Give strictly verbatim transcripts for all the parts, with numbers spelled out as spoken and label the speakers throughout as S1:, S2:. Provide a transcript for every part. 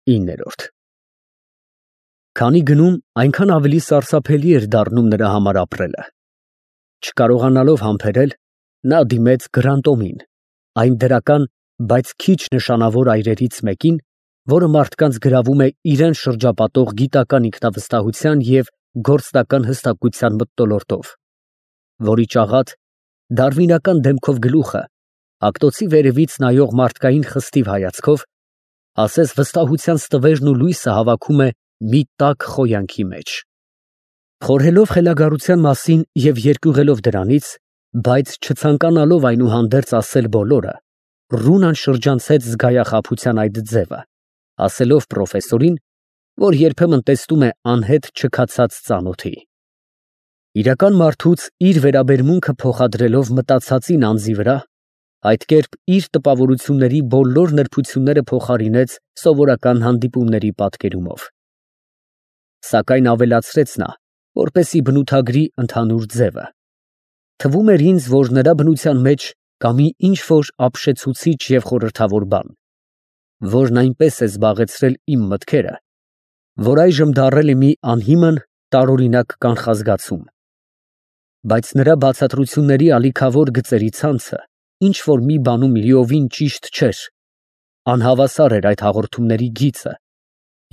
S1: ինը Քանի գնում, այնքան ավելի սարսափելի էր դառնում նրա համար ապրելը։ Չկարողանալով համբերել, նա դիմեց Գրանտոմին, այն դրական, բայց քիչ նշանավոր այրերից մեկին, որը մարդկանց գրավում է իրան շրջապատող գիտական ինքնավստահության և գործնական հստակության մթնոլորտով, որի ճաղատ, դարվինական դեմքով գլուխը, ակտոցի վերևից նայող մարդկային խստիվ հայացքով, ասես վստահության ստվերն ու լույսը հավաքում է մի տաք խոյանքի մեջ։ Խորհելով խելագարության մասին և երկյուղելով դրանից, բայց չցանկանալով այնուհանդերձ ասել բոլորը, Ռունան շրջանցեց զգայախաբության այդ ձևը, ասելով պրոֆեսորին, որ երբեմն տեսնում է անհետ չքացած ծանոթի։ Իրական մարդուց իր վերաբերմունքը փոխադրելով մտածածին անձի վրա, այդ կերպ իր տպավորությունների բոլոր նրբությունները փոխարինեց սովորական հանդիպումների պատկերումով։ Սակայն ավելացրեց նա, որպեսզի բնութագրի ընդհանուր ձևը. թվում էր ինձ, որ նրա բնության մեջ կա մի ինչ֊որ ապշեցուցիչ և խորհրդավոր բան, որն այնպես է զբաղեցրել իմ մտքերը, որ այժմ դառել է մի անհիմն, տարօրինակ կանխազգացում, բայց նրա բացատրությունների ալիքավոր գծերի ցանցը ինչ֊որ մի բանում լիովին ճիշտ չէր, անհավասար էր այդ հաղորդումների գիծը,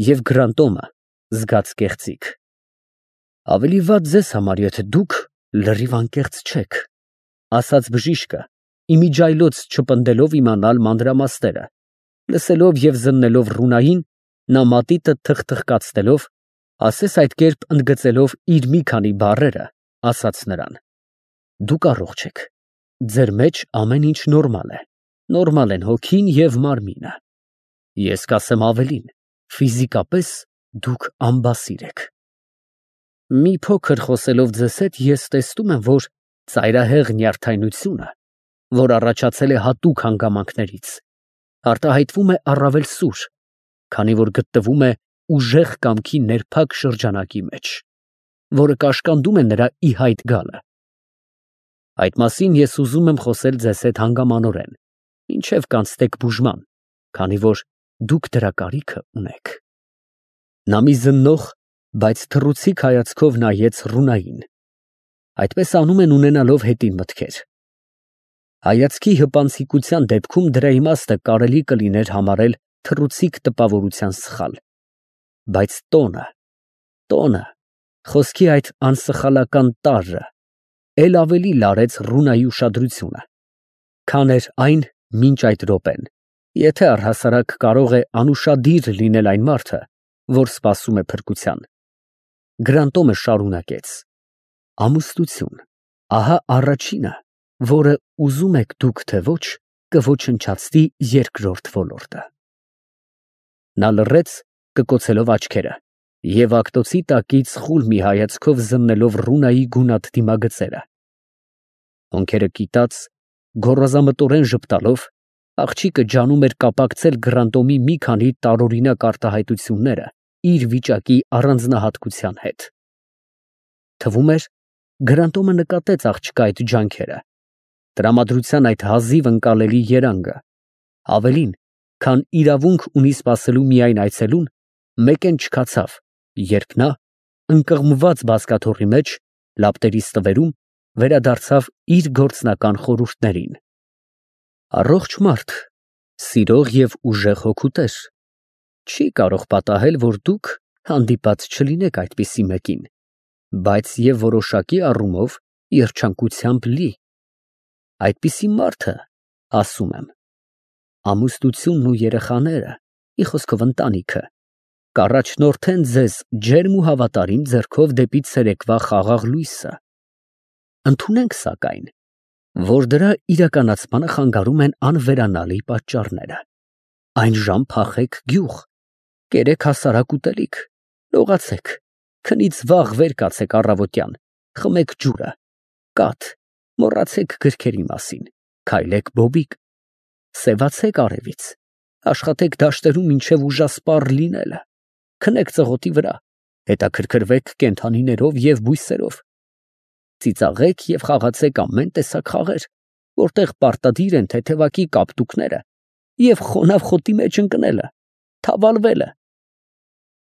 S1: և Գրանտոմը զգաց կեղծիք։ Ավելի վատ ձեզ համար, եթե դուք լրիվ անկեղծ չեք, ասաց բժիշկը, իմիջիայլոց չպնդելով իմանալ մանրամասները, լսելով և զննելով Ռունային, նա մատիտը թխթխկացնելով, ասես այդ կերպ ընդգծելով իր մի քանի բառերը, ասաց նրան. Դուք առողջ եք, ձեր մեջ ամեն ինչ նորմալ է, նորմալ են հոգին և մարմինը, ես կասեմ ավելին, ֆիզիկապես դուք անբասիր եք։ Մի փոքր խոսելով ձեզ հետ, ես տեսնում եմ, որ ծայրահեղ նյարդայնությունը, որ առաջացել է հատուկ հանգամանքներից, արտահայտվում է առավել սուր, քանի որ գտնվում է ուժեղ կամքի ներփակ շրջանակի մեջ, որը կաշկանդում է նրա ի հայտ գալը։ Այդ մասին ես ուզում եմ խոսել ձեզ հետ հանգամանորեն, մինչև կանցնեք բուժման, քանի որ դուք դրա կարիքը ունեք։ Նա մի զննող, բայց թռուցիկ հայացքով նայեց Ռունային։ Այդպես անում են ունենալով հետին մտքեր։ Հայացքի հպանցիկության դեպքում դրա իմաստը կարելի կլիներ համարել թռուցիկ տպավորության սխալ, բայց տոնը, տոնը, խոսքի այդ անսխալական տարրը էլ ավելի լարեց Ռունայի ուշադրությունը, քան էր այն մինչ այդ րոպեն, եթե առհասարակ կարող է անուշադիր լինել այն մարդը, որ սպասում է փրկության։ Գրանտոմը շարունակեց. Ամուսնություն, ահա առաջինը, որը ուզում եք դուք թե ոչ, կոչնչացնի երկրորդ ոլորտը։ Նա լռեց, կկոցելով աչքերը, և ակտոցի տակից խուլ մի հայացքով զննելով Ռունայի գունատ դիմագծերը։ Հոնքերը կիտած, գոռազամտորեն ժպտալով, աղջիկը ջանում էր կապակցել Գրանտոմի մի քանի տարօրինակ արտահայտությունները իր վիճակի առանձնահատկության հետ։ Թվում էր, Գրանտոմը նկատեց աղջկա այդ ջանքերը, տրամադրության այդ հազիվ ընկալելի երանգը, ավելին, քան իրավունք ունի սպասելու միայն այցելուն, մեկեն չքացավ, երբ նա, ընկղմված բազկաթոռի մեջ, լապտերի ստվերում, վերադարձավ իր գործնական խորհուրդներին։ Առողջ մարդ, սիրող և ուժեղ հոգուտեր, չի կարող պատահել, որ դուք հանդիպած չլինեք այդպիսի մեկին, բայց և որոշակի առումով երջանկությամբ լի։ Այդպիսի մարդը, ասում եմ, ամուսնությունն ու երեխաները, մի խոսքով ընտանիքը, կառաջնորդեն ձեզ ջերմ ու հավատարիմ ձեռքով դեպի ցերեկվա խաղաղ լույսը։ Ընդունենք, սակայն, որ դրա իրականացմանը խանգարում են անվերանալի պատճառները։ Այն ժամ փախեք գյուղ, կերեք հասարակ ուտելիք, լողացեք, քնից վաղ վեր կացեք առավոտյան, խմեք ջուրը, կաթ, մոռացեք գրքերի մասին, քայլեք բոբիկ, սևացեք արևից, աշխատեք դաշտերում մինչև ուժասպառ լինելը, քնեք ծղոտի վրա, հետաքրքրվեք կենդանիներով և բույսերով, ծիծաղեք և խաղացեք ամեն տեսակ խաղեր, որտեղ պարտադիր են թեթևակի կապտուկները և խոնավ խոտի մեջ ընկնելը, թավալվելը,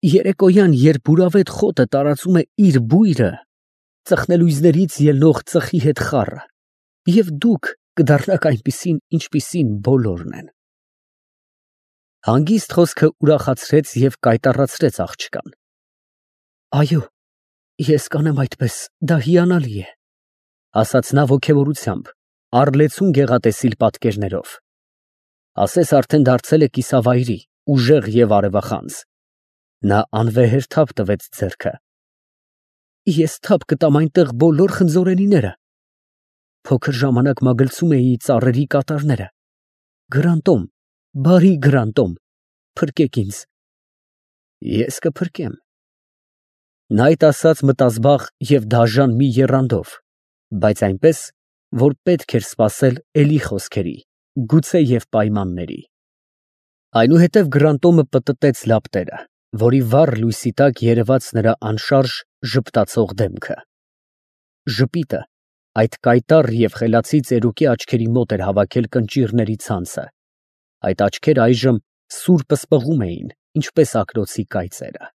S1: Երեկոյան, երբ ուրավետ խոտը տարածում է իր բույրը, ծխնելույզներից ելնող ծխի հետ խառը, և դուք կդառնաք այնպիսին, ինչպիսին բոլորն են։ Հանգիստ խոսքը ուրախացրեց և կայտառացրեց աղջկան։ Այո, ես կանեմ այդպես, դա հիանալի է, ասաց նա ոգևորությամբ, առլեցուն գեղատեսիլ պատկերներով։ Ասես արդեն դարձել է կիսավայրի, ուժեղ և արևախանձ։ Նա անվեհեր թափ տվեց ձեռքը։ Ես թափ կտամ այնտեղ բոլոր խնձորենիները։ Փոքր ժամանակ մագլցում էի ծառերի կատարները։ Գրանտոմ, բարի Գրանտոմ, փրկեք ինձ։ Ես կփրկեմ։ Նա այդ ասաց մտազբաղ և դաժան մի եռանդով, բայց այնպես, որ պետք էր սպասել էլի խոսքերի, գուցե և պայմանների։ Այնուհետև Գրանտոմը պտտեց լապտերը, որի վառ լույսի տակ երևաց նրա անշարժ ժպտացող դեմքը։ Ժպիտը այդ կայտառ և խելացի ծերուկի աչքերի մոտ էր հավաքել կնճիռների ցանցը, այդ աչքերը այժմ սուր պսպղում էին, ինչպես ակնոցի կայծերը։